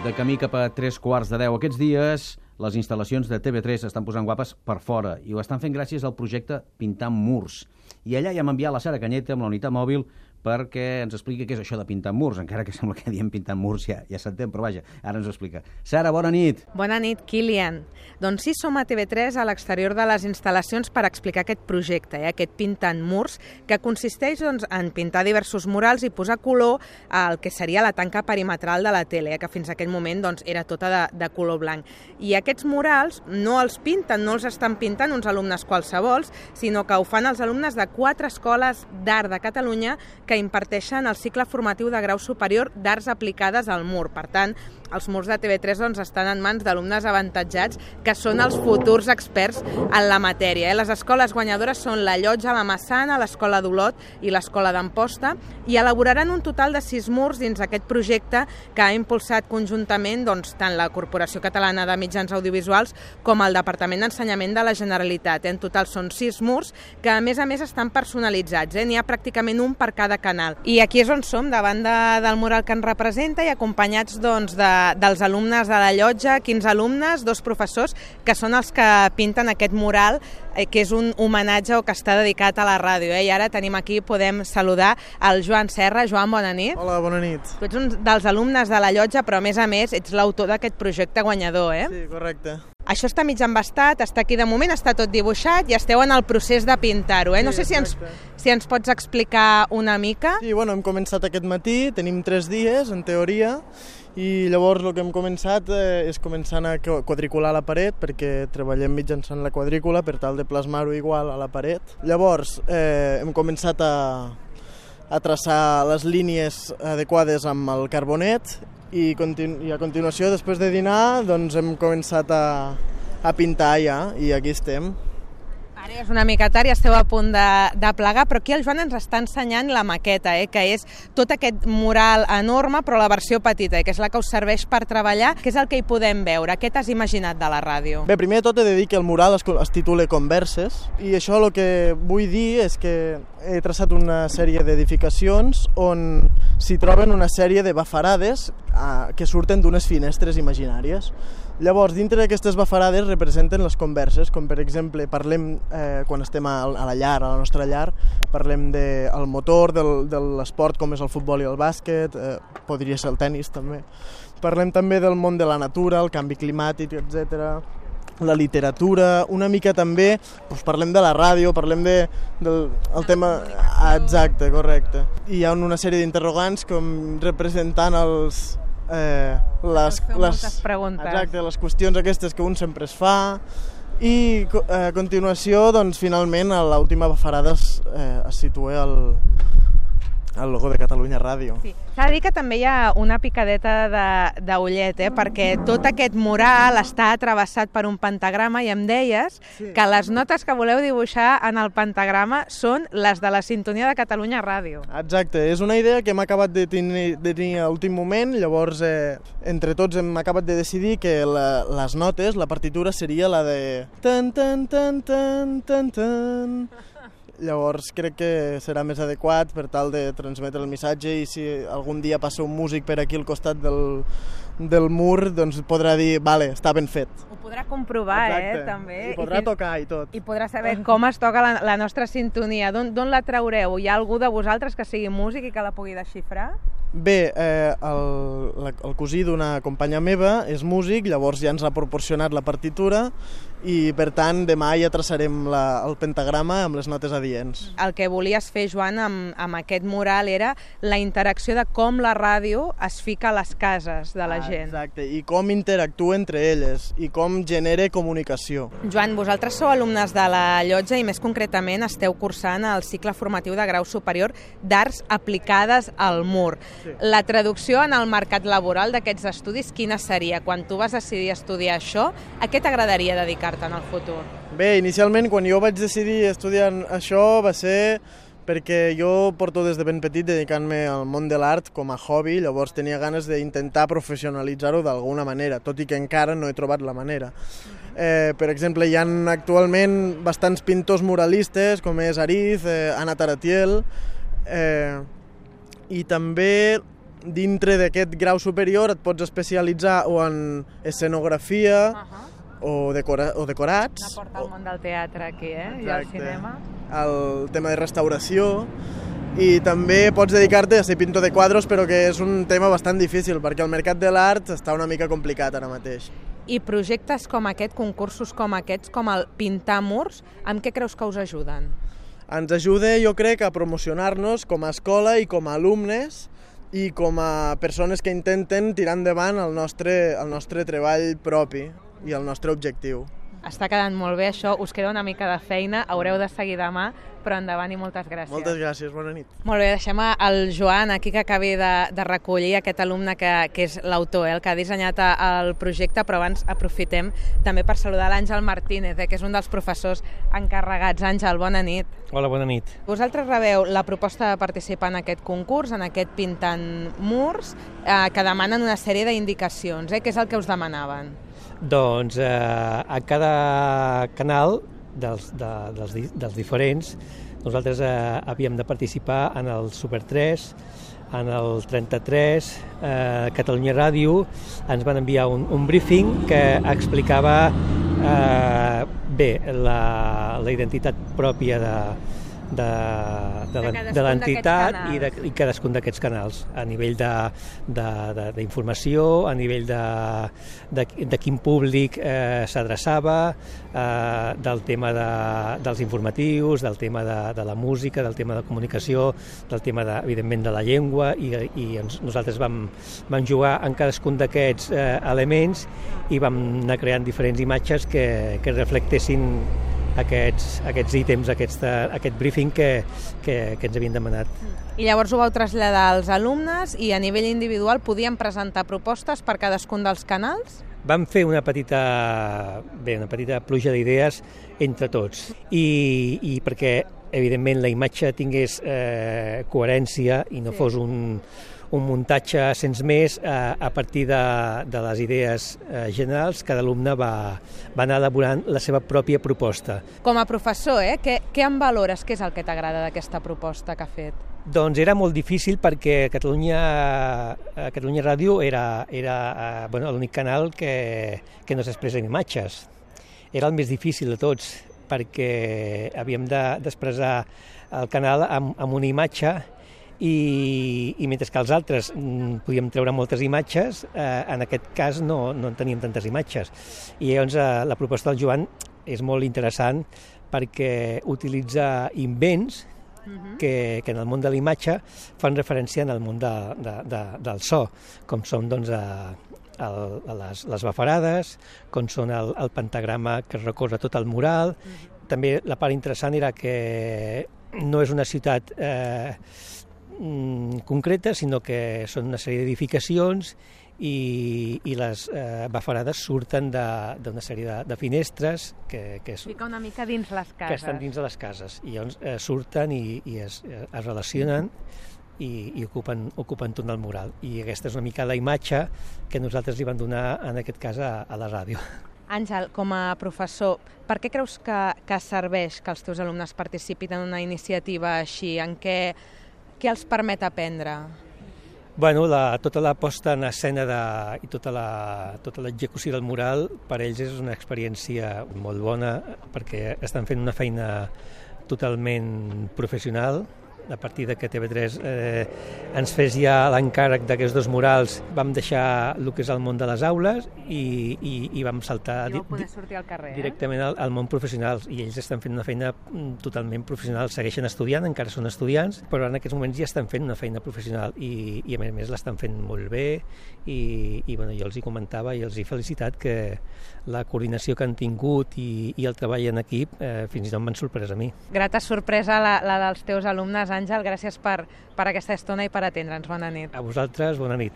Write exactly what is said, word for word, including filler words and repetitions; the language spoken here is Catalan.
de camí cap a tres quarts de deu. Aquests dies les instal·lacions de T V tres estan posant guapes per fora i ho estan fent gràcies al projecte Pintant Murs. I allà ja hem enviat la Sara Cañete amb la unitat mòbil perquè ens expliqui què és això de pintar murs, encara que sembla que diem pintant murs ja, ja s'entén, però vaja, ara ens ho explica. Sara, bona nit. Bona nit, Kilian. Doncs sí, som a T V tres a l'exterior de les instal·lacions per explicar aquest projecte, eh, aquest Pintant Murs, que consisteix doncs, en pintar diversos murals i posar color al que seria la tanca perimetral de la tele, eh, que fins a aquell moment doncs, era tota de, de color blanc. I aquests murals no els pinten, no els estan pintant uns alumnes qualsevols, sinó que ho fan els alumnes de quatre escoles d'art de Catalunya que imparteixen el cicle formatiu de grau superior d'arts aplicades al mur. Per tant, els murs de T V tres doncs, estan en mans d'alumnes avantatjats que són els futurs experts en la matèria. Eh? Les escoles guanyadores són la Llotja, la Massana, l'Escola d'Olot i l'Escola d'Amposta i elaboraran un total de sis murs dins aquest projecte que ha impulsat conjuntament doncs, tant la Corporació Catalana de Mitjans Audiovisuals com el Departament d'Ensenyament de la Generalitat. En total són sis murs que a més a més estan personalitzats. Eh? N'hi ha pràcticament un per cada canal. I aquí és on som, davant de, del mural que ens representa i acompanyats doncs, de, dels alumnes de la Llotja, quinze alumnes, dos professors, que són els que pinten aquest mural, eh, que és un homenatge o que està dedicat a la ràdio. Eh? I ara tenim aquí, podem saludar el Joan Serra. Joan, bona nit. Hola, bona nit. Tu ets un dels alumnes de la Llotja, però a més a més ets l'autor d'aquest projecte guanyador, eh? Sí, correcte. Això està mig embastat, està aquí de moment, està tot dibuixat i esteu en el procés de pintar-ho. Eh? Sí, no sé si ens, si ens pots explicar una mica. Sí, bueno, hem començat aquest matí, tenim tres dies, en teoria, i llavors el que hem començat eh, és començant a quadricular la paret, perquè treballem mitjançant la quadrícula per tal de plasmar-ho igual a la paret. Llavors eh, hem començat a, a traçar les línies adequades amb el carbonet i, continu i a continuació, després de dinar, doncs hem començat a, a pintar ja, i aquí estem. Ara és una mica tard i esteu a punt de, de plegar, però aquí el Joan ens està ensenyant la maqueta, eh, que és tot aquest mural enorme, però la versió petita, eh, que és la que us serveix per treballar. Què és el que hi podem veure? Què t'has imaginat de la ràdio? Bé, primer de tot he de dir que el mural es, es titula Converses, i això el que vull dir és que he traçat una sèrie d'edificacions on s'hi troben una sèrie de bafarades eh, que surten d'unes finestres imaginàries. Llavors, dintre d'aquestes bafarades representen les converses, com per exemple, parlem, eh, quan estem a, a la llar, a la nostra llar, parlem del de, motor, del, de l'esport com és el futbol i el bàsquet, eh, podria ser el tennis també. Parlem també del món de la natura, el canvi climàtic, etcètera, la literatura, una mica també, doncs parlem de la ràdio, parlem de, del el tema... Exacte, correcte. I hi ha una sèrie d'interrogants com representant els... Eh, les, les, exacte, les qüestions aquestes que un sempre es fa i a continuació doncs, finalment a l'última bafarada es, eh, es situa el, el logo de Catalunya Ràdio. Sí. S'ha de dir que també hi ha una picadeta d'ullet, eh? Perquè tot aquest mural està travessat per un pentagrama i em deies sí. que les notes que voleu dibuixar en el pentagrama són les de la sintonia de Catalunya Ràdio. Exacte, és una idea que hem acabat de tenir, de tenir a l'últim moment, llavors eh, entre tots hem acabat de decidir que la, les notes, la partitura seria la de tan tan tan tan tan tan. Llavors crec que serà més adequat per tal de transmetre el missatge i si algun dia passa un músic per aquí al costat del, del mur, doncs podrà dir, vale, està ben fet. Ho podrà comprovar, exacte. eh, també. I podrà I tocar i tot. I podrà saber com es toca la, la nostra sintonia. D'on la traureu? Hi ha algú de vosaltres que sigui músic i que la pugui desxifrar? Bé, eh, el, el cosí d'una companya meva és músic, llavors ja ens ha proporcionat la partitura i per tant demà ja traçarem la, el pentagrama amb les notes adients. El que volies fer, Joan, amb, amb aquest mural era la interacció de com la ràdio es fica a les cases de la gent. Ah, exacte, i com interactua entre elles i com genera comunicació. Joan, vosaltres sou alumnes de la Llotja i més concretament esteu cursant el cicle formatiu de grau superior d'arts aplicades al mur. Sí. La traducció en el mercat laboral d'aquests estudis, quina seria? Quan tu vas decidir estudiar això, a què t'agradaria dedicar-te en el futur? Bé, inicialment, quan jo vaig decidir estudiar això va ser perquè jo porto des de ben petit dedicant-me al món de l'art com a hobby, llavors tenia ganes d'intentar professionalitzar-ho d'alguna manera, tot i que encara no he trobat la manera. Eh, per exemple, hi ha actualment bastants pintors muralistes, com és Ariz, eh, Anna Taratiel, eh, i també dintre d'aquest grau superior et pots especialitzar o en escenografia uh -huh. o, decora o decorats. Una porta al món del teatre aquí, eh? Exacte. I al cinema. El tema de restauració. I també pots dedicar-te a ser pintor de quadros, però que és un tema bastant difícil, perquè el mercat de l'art està una mica complicat ara mateix. I projectes com aquest, concursos com aquests, com el Pintar Murs, amb què creus que us ajuden? Ens ajuda, jo crec, a promocionar-nos com a escola i com a alumnes i com a persones que intenten tirar endavant el nostre, el nostre treball propi i el nostre objectiu. Està quedant molt bé això, us queda una mica de feina, haureu de seguir demà, però endavant i moltes gràcies. Moltes gràcies, bona nit. Molt bé, deixem el Joan aquí que acabi de, de recollir aquest alumne que, que és l'autor, eh, el que ha dissenyat el projecte, però abans aprofitem també per saludar l'Àngel Martínez, eh, que és un dels professors encarregats. Àngel, bona nit. Hola, bona nit. Vosaltres rebeu la proposta de participar en aquest concurs, en aquest Pintant Murs, eh, que demanen una sèrie d'indicacions. Eh? Què és el que us demanaven? Doncs eh, a cada canal dels, de, dels, dels diferents nosaltres eh, havíem de participar en el Super tres, en el trenta-tres, eh, Catalunya Ràdio ens van enviar un, un briefing que explicava eh, bé la, la identitat pròpia de de, de, de, de l'entitat i, de, i cadascun d'aquests canals, a nivell d'informació, a nivell de, de, de quin públic eh, s'adreçava, eh, del tema de, dels informatius, del tema de, de la música, del tema de la comunicació, del tema, de, evidentment, de la llengua, i, i ens, nosaltres vam, vam jugar en cadascun d'aquests eh, elements i vam anar creant diferents imatges que, que reflectessin aquests, aquests ítems, aquest, aquest briefing que, que, que ens havien demanat. I llavors ho vau traslladar als alumnes i a nivell individual podien presentar propostes per cadascun dels canals? Vam fer una petita, bé, una petita pluja d'idees entre tots i, i perquè, evidentment, la imatge tingués eh, coherència i no sí. fos un, un muntatge sense més, eh, a partir de, de les idees eh, generals, cada alumne va, va anar elaborant la seva pròpia proposta. Com a professor, eh, què, què en valores? Què és el que t'agrada d'aquesta proposta que ha fet? Doncs era molt difícil perquè Catalunya, Catalunya Ràdio era, era bueno, l'únic canal que, que no s'expressa en imatges. Era el més difícil de tots perquè havíem d'expressar el canal amb, amb una imatge i, i mentre que els altres podíem treure moltes imatges, eh, en aquest cas no, no en teníem tantes imatges. I llavors eh, la proposta del Joan és molt interessant perquè utilitza invents Que, que en el món de la imatge fan referència en el món de, de, de, del so, com són doncs, a, a, a les, les bafarades, com són el, el pentagrama que recorre tot el mural. Mm-hmm. També la part interessant era que no és una ciutat eh, concreta, sinó que són una sèrie d'edificacions i, i les eh, bafarades surten d'una sèrie de, de finestres que, que, és, Fica una mica dins les cases. que estan dins de les cases i llavors eh, surten i, i es, es relacionen i, i ocupen, ocupen tot el mural, i aquesta és una mica la imatge que nosaltres li vam donar en aquest cas a, a la ràdio. Àngel, com a professor, per què creus que, que serveix que els teus alumnes participin en una iniciativa així? En què, què els permet aprendre? Bueno, la, tota la posta en escena de, i tota la, tota l'execució del mural per ells és una experiència molt bona perquè estan fent una feina totalment professional. A partir de que T V tres eh, ens fes ja l'encàrrec d'aquests dos murals, vam deixar el que és el món de les aules i, i, i vam saltar I poder sortir al carrer, directament eh? al, al món professional, i ells estan fent una feina totalment professional, segueixen estudiant, encara són estudiants, però en aquests moments ja estan fent una feina professional i, i a més a més l'estan fent molt bé i, i bueno, jo els hi comentava i els he felicitat que la coordinació que han tingut i, i el treball en equip eh, fins i tot m'han sorprès a mi. Grata sorpresa la, la dels teus alumnes, Àngel, gràcies per, per aquesta estona i per atendre'ns. Bona nit. A vosaltres, bona nit.